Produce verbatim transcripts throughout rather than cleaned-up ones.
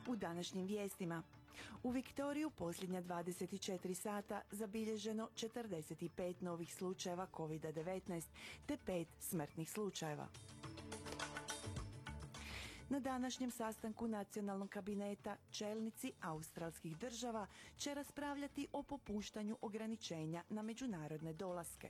U današnjim vijestima. U Viktoriju posljednja dvadeset četiri sata zabilježeno četrdeset pet novih slučajeva kovid devetnaest te pet smrtnih slučajeva. Na današnjem sastanku nacionalnog kabineta čelnici australskih država će raspravljati o popuštanju ograničenja na međunarodne dolaske.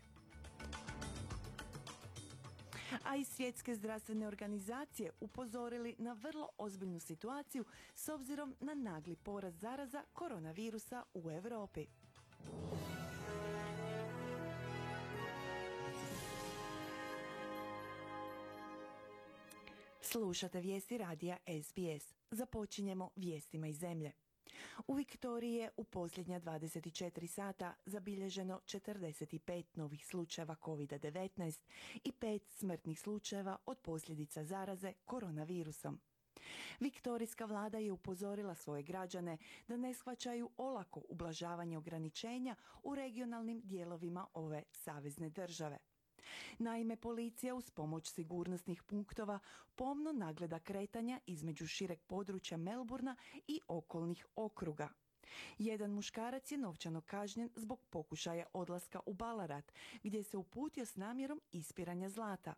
A i Svjetske zdravstvene organizacije upozorili na vrlo ozbiljnu situaciju s obzirom na nagli porast zaraza koronavirusa u Europi. Slušate vijesti radija S B S. Započinjemo vijestima iz zemlje. U Viktoriji je u posljednja dvadeset četiri sata zabilježeno četrdeset pet novih slučajeva kovid devetnaest i pet smrtnih slučajeva od posljedica zaraze koronavirusom. Viktorijska vlada je upozorila svoje građane da ne shvaćaju olako ublažavanje ograničenja u regionalnim dijelovima ove savezne države. Naime, policija uz pomoć sigurnosnih punktova pomno nagleda kretanja između šireg područja Melbourna i okolnih okruga. Jedan muškarac je novčano kažnjen zbog pokušaja odlaska u Ballarat, gdje se uputio s namjerom ispiranja zlata.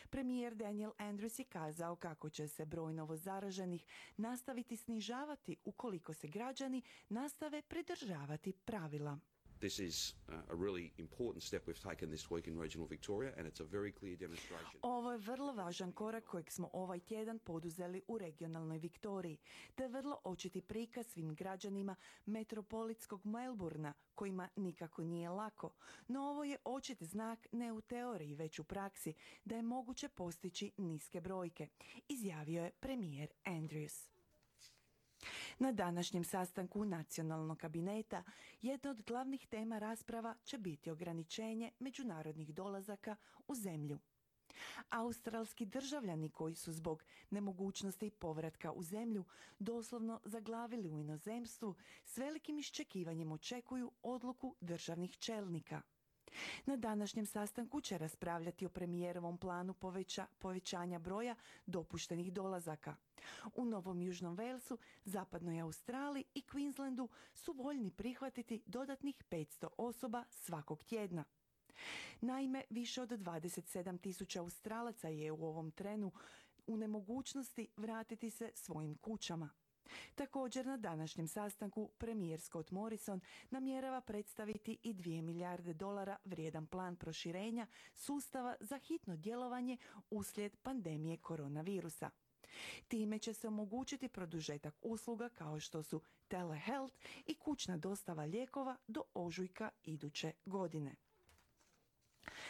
Premijer Daniel Andrews je kazao kako će se broj novozaraženih nastaviti snižavati ukoliko se građani nastave pridržavati pravila. This is a really important step we've taken this week in regional Victoria and it's a very clear demonstration. Ovo je vrlo važan korak kojeg smo ovaj tjedan poduzeli u regionalnoj Viktoriji, te vrlo očiti prikaz svim građanima metropolitskog Melbourna, kojima nikako nije lako. No ovo je očit znak ne u teoriji, već u praksi, da je moguće postići niske brojke, izjavio je premijer Andrews. Na današnjem sastanku nacionalnog kabineta jedna od glavnih tema rasprava će biti ograničenje međunarodnih dolazaka u zemlju. Australski državljani koji su zbog nemogućnosti povratka u zemlju doslovno zaglavili u inozemstvu s velikim iščekivanjem očekuju odluku državnih čelnika. Na današnjem sastanku će raspravljati o premijerovom planu poveća, povećanja broja dopuštenih dolazaka. U Novom Južnom Walesu, Zapadnoj Australiji i Queenslandu su voljni prihvatiti dodatnih petsto osoba svakog tjedna. Naime, više od dvadeset sedam tisuća Australaca je u ovom trenu u nemogućnosti vratiti se svojim kućama. Također na današnjem sastanku premijer Scott Morrison namjerava predstaviti i dvije milijarde dolara vrijedan plan proširenja sustava za hitno djelovanje uslijed pandemije koronavirusa. Time će se omogućiti produžetak usluga kao što su telehealth i kućna dostava lijekova do ožujka iduće godine.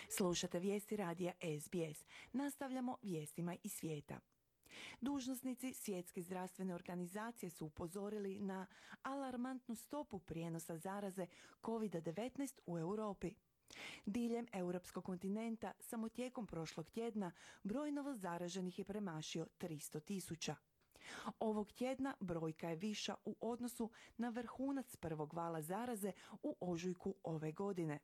Slušate vijesti radija S B S. Nastavljamo vijestima iz svijeta. Dužnosnici Svjetske zdravstvene organizacije su upozorili na alarmantnu stopu prijenosa zaraze kovid devetnaest u Europi. Diljem europskog kontinenta samo tijekom prošlog tjedna broj novozaraženih je premašio tristo tisuća. Ovog tjedna brojka je viša u odnosu na vrhunac prvog vala zaraze u ožujku ove godine.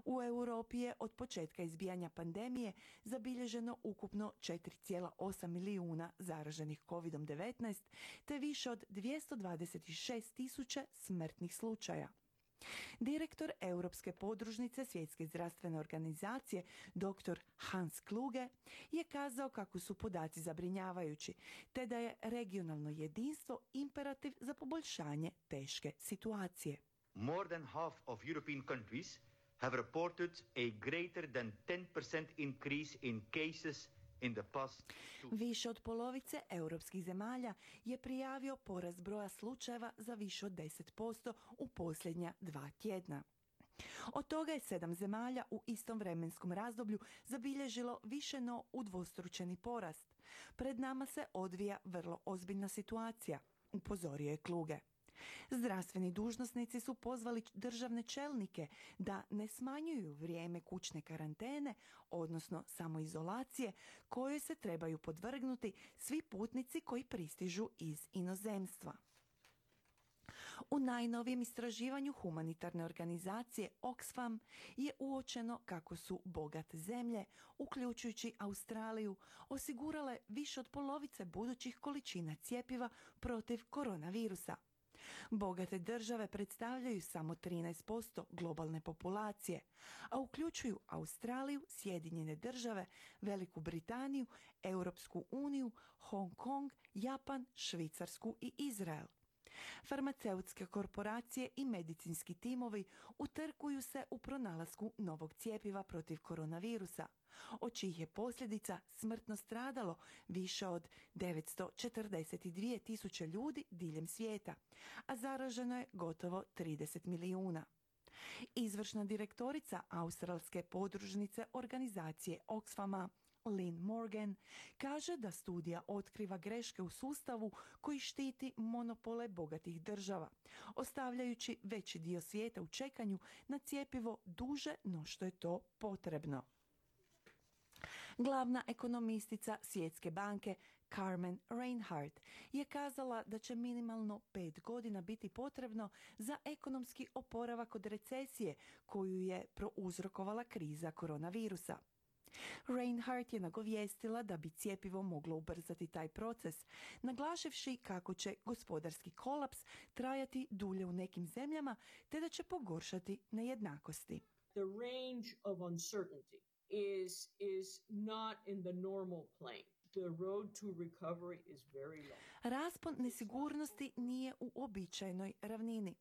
U Europi je od početka izbijanja pandemije zabilježeno ukupno četiri zarez osam milijuna zaraženih kovid devetnaest te više od dvjesto dvadeset šest tisuća smrtnih slučaja. Direktor Europske podružnice Svjetske zdravstvene organizacije dr. Hans Kluge je kazao kako su podaci zabrinjavajući te da je regionalno jedinstvo imperativ za poboljšanje teške situacije. More than half of European countries have reported a greater than ten percent increase in cases in the past two. Više od polovice europskih zemalja je prijavio porast broja slučajeva za više od deset posto u posljednja dva tjedna. Od toga je sedam zemalja u istom vremenskom razdoblju zabilježilo više no udvostručeni porast. Pred nama se odvija vrlo ozbiljna situacija, upozorio je Kluge. Zdravstveni dužnosnici su pozvali državne čelnike da ne smanjuju vrijeme kućne karantene, odnosno samoizolacije, kojoj se trebaju podvrgnuti svi putnici koji pristižu iz inozemstva. U najnovijem istraživanju humanitarne organizacije Oxfam je uočeno kako su bogate zemlje, uključujući Australiju, osigurale više od polovice budućih količina cjepiva protiv koronavirusa. Bogate države predstavljaju samo trinaest posto globalne populacije, a uključuju Australiju, Sjedinjene države, Veliku Britaniju, Europsku uniju, Hong Kong, Japan, Švicarsku i Izrael. Farmaceutske korporacije i medicinski timovi utrkuju se u pronalasku novog cjepiva protiv koronavirusa, od čijih je posljedica smrtno stradalo više od devetsto četrdeset dvije tisuće ljudi diljem svijeta, a zaraženo je gotovo trideset milijuna. Izvršna direktorica australske podružnice organizacije Oxfama, Lynn Morgan, kaže da studija otkriva greške u sustavu koji štiti monopole bogatih država, ostavljajući veći dio svijeta u čekanju na cjepivo duže no što je to potrebno. Glavna ekonomistica Svjetske banke Carmen Reinhardt je kazala da će minimalno pet godina biti potrebno za ekonomski oporavak od recesije koju je prouzrokovala kriza koronavirusa. Reinhardt je nagovijestila da bi cjepivo moglo ubrzati taj proces, naglašivši kako će gospodarski kolaps trajati dulje u nekim zemljama te da će pogoršati nejednakosti. The range of uncertainty is is not in the normal plane. The road to recovery is very long. Raspon nesigurnosti nije u običajnoj ravnini.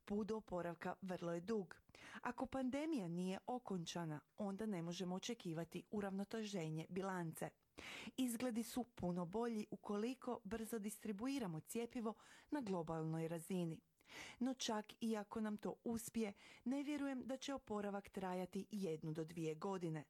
Put do oporavka vrlo je dug. Ako pandemija nije okončana, onda ne možemo očekivati uravnoteženje bilance. Izgledi su puno bolji ukoliko brzo distribuiramo cjepivo na globalnoj razini. No čak i ako nam to uspije, ne vjerujem da će oporavak trajati jednu do dvije godine.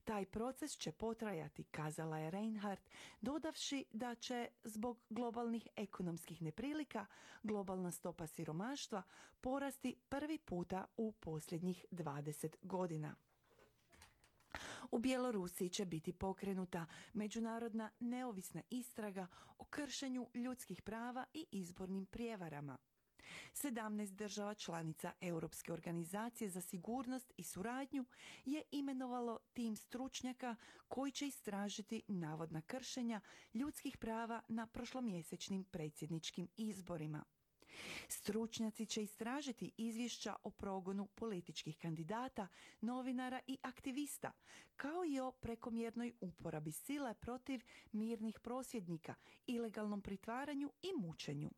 Taj proces će potrajati, kazala je Reinhardt, dodavši da će zbog globalnih ekonomskih neprilika globalna stopa siromaštva porasti prvi puta u posljednjih dvadeset godina. U Bjelorusiji će biti pokrenuta međunarodna neovisna istraga o kršenju ljudskih prava i izbornim prijevarama. sedamnaest država članica Europske organizacije za sigurnost i suradnju je imenovalo tim stručnjaka koji će istražiti navodna kršenja ljudskih prava na prošlomjesečnim predsjedničkim izborima. Stručnjaci će istražiti izvješća o progonu političkih kandidata, novinara i aktivista, kao i o prekomjernoj uporabi sile protiv mirnih prosvjednika, ilegalnom pritvaranju i mučenju.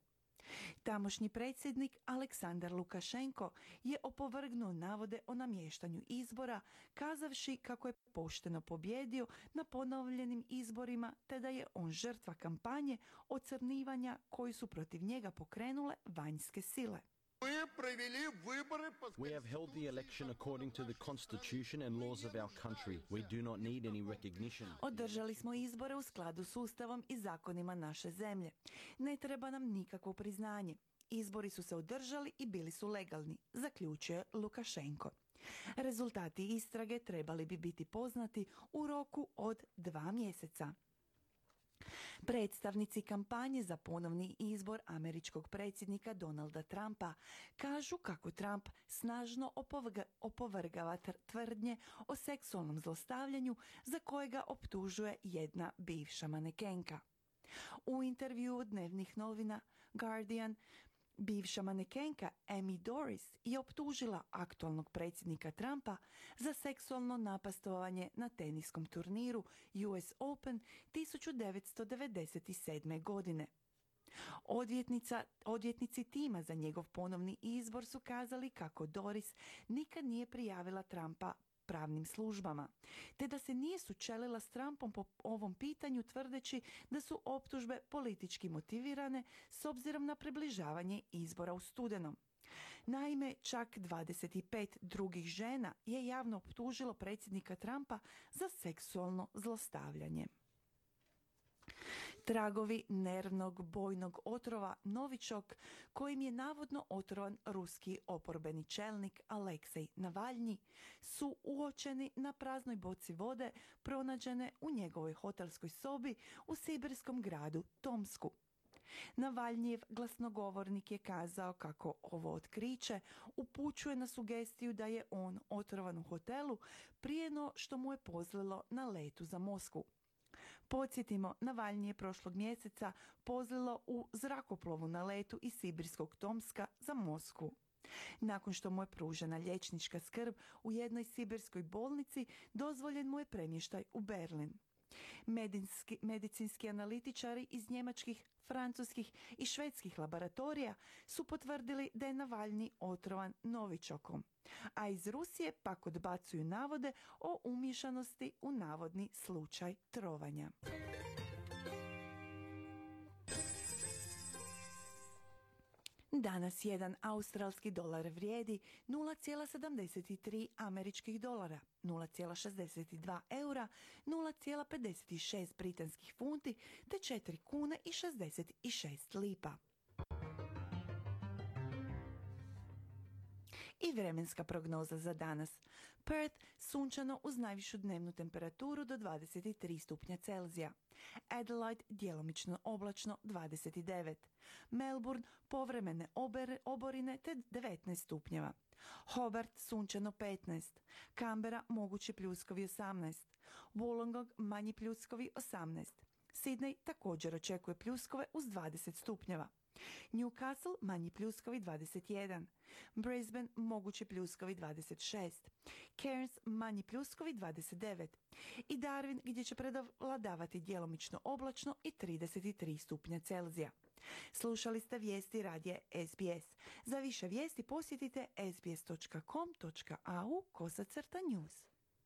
Tamošnji predsjednik Aleksandar Lukašenko je opovrgnuo navode o namještanju izbora, kazavši kako je pošteno pobjedio na ponovljenim izborima te da je on žrtva kampanje ocrnivanja koju su protiv njega pokrenule vanjske sile. We have held the election according to the constitution and laws of our country. We do not need any recognition. Održali smo izbore u skladu s Ustavom i zakonima naše zemlje. Ne treba nam nikakvo priznanje. Izbori su se održali i bili su legalni, zaključuje Lukašenko. Rezultati istrage trebali bi biti poznati u roku od dva mjeseca. Predstavnici kampanje za ponovni izbor američkog predsjednika Donalda Trumpa kažu kako Trump snažno opovrga, opovrgava tvrdnje o seksualnom zlostavljanju za kojega optužuje jedna bivša manekenka. U intervjuu dnevnih novina Guardian, bivša manekenka Amy Doris je optužila aktualnog predsjednika Trumpa za seksualno napastovanje na teniskom turniru U S Open tisuću devetsto devedeset sedme. godine. Odvjetnica, odvjetnici tima za njegov ponovni izbor su kazali kako Doris nikad nije prijavila Trumpa pravnim službama, te da se nije sučelila s Trumpom po ovom pitanju tvrdeći da su optužbe politički motivirane s obzirom na približavanje izbora u studenom. Naime, čak dvadeset pet drugih žena je javno optužilo predsjednika Trumpa za seksualno zlostavljanje. Tragovi nervnog bojnog otrova Novičok, kojim je navodno otrovan ruski oporbeni čelnik Aleksej Navalnji, su uočeni na praznoj boci vode pronađene u njegovoj hotelskoj sobi u sibirskom gradu Tomsku. Navalnjijev glasnogovornik je kazao kako ovo otkriće upućuje na sugestiju da je on otrovan u hotelu prije no što mu je pozlilo na letu za Moskvu. Podsjetimo, Navalnji je prošlog mjeseca pozlilo u zrakoplovu na letu iz sibirskog Tomska za Moskvu. Nakon što mu je pružena liječnička skrb u jednoj sibirskoj bolnici, dozvoljen mu je premještaj u Berlin. Medicinski, medicinski analitičari iz njemačkih, francuskih i švedskih laboratorija su potvrdili da je Navalnji otrovan novičokom, a iz Rusije pak odbacuju navode o umiješanosti u navodni slučaj trovanja. Danas jedan australski dolar vrijedi nula zarez sedamdeset tri američkih dolara, nula zarez šezdeset dva eura, nula zarez pedeset šest britanskih funti te četiri kune i šezdeset šest lipa. I vremenska prognoza za danas. Perth sunčano uz najvišu dnevnu temperaturu do dvadeset tri stupnja Celzija. Adelaide djelomično oblačno dvadeset devet. Melbourne povremene ober, oborine te devetnaest stupnjeva. Hobart sunčano petnaest. Canberra mogući pljuskovi osamnaest. Wollongong manji pljuskovi osamnaest. Sydney također očekuje pljuskove uz dvadeset stupnjeva. Newcastle manji pljuskovi dvadeset jedan. Brisbane mogući pljuskovi dvadeset šest. Cairns manji pljuskovi dvadeset devet. I Darwin gdje će prevladavati djelomično oblačno i trideset tri stupnja Celzija. Slušali ste vijesti radija S B S. Za više vijesti posjetite s b s dot com dot a u kosacrta news.